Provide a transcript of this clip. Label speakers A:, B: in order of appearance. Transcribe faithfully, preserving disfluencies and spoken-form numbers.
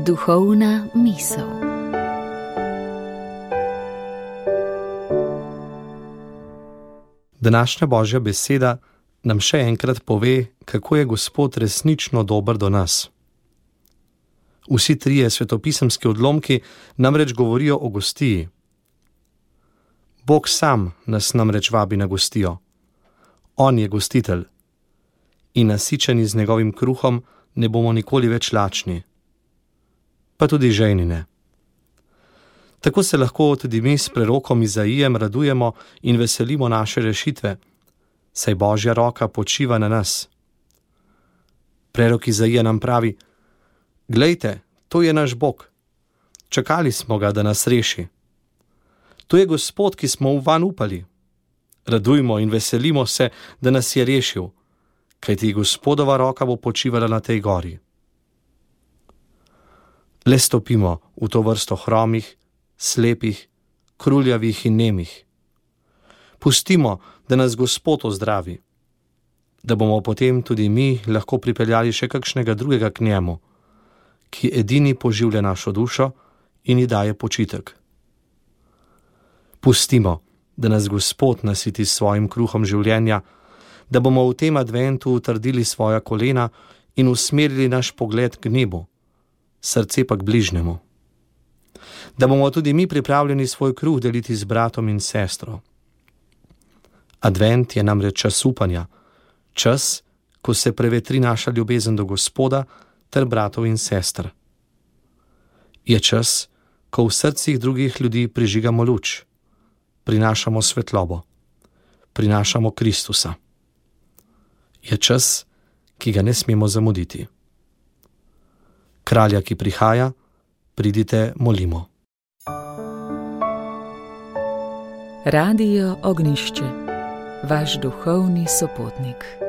A: Duhovna misel.
B: Današnja Božja beseda nam še enkrat pove, kako je Gospod resnično dober do nas. Vsi trije svetopisemski odlomki namreč govorijo o gostiji. Bog sam nas namreč vabi na gostijo. On je gostitelj. In nasičeni z njegovim kruhom ne bomo nikoli več lačni. Pa tudi žejni ne. Tako se lahko tudi mi s prerokom Izaijem radujemo in veselimo naše rešitve, saj Božja roka počiva na nas. Prerok Izaija nam pravi: glejte, to je naš Bog. Čakali smo ga, da nas reši. To je Gospod, ki smo vanj upali. Radujmo in veselimo se, da nas je rešil, kajti Gospodova roka bo počivala na tej gori. Le stopimo v to vrsto hromih, slepih, kruljavih in nemih. Pustimo, da nas Gospod ozdravi, da bomo potem tudi mi lahko pripeljali še kakšnega drugega k njemu, ki edini poživlja našo dušo in ji daje počitek. Pustimo, da nas Gospod nasiti s svojim kruhom življenja, da bomo v tem adventu utrdili svoja kolena in usmerili naš pogled k nebu, srce pa k bližnjemu. Da bomo tudi mi pripravljeni svoj kruh deliti z bratom in sestro. Advent je namreč čas upanja, čas, ko se prevetri naša ljubezen do Gospoda ter bratov in sester. Je čas, ko v srcih drugih ljudi prižigamo luč, prinašamo svetlobo, prinašamo Kristusa. Je čas, ki ga ne smemo zamuditi. Kralja, ki prihaja, pridite, molimo.
A: Radio Ognjišče, vaš duhovni sopotnik.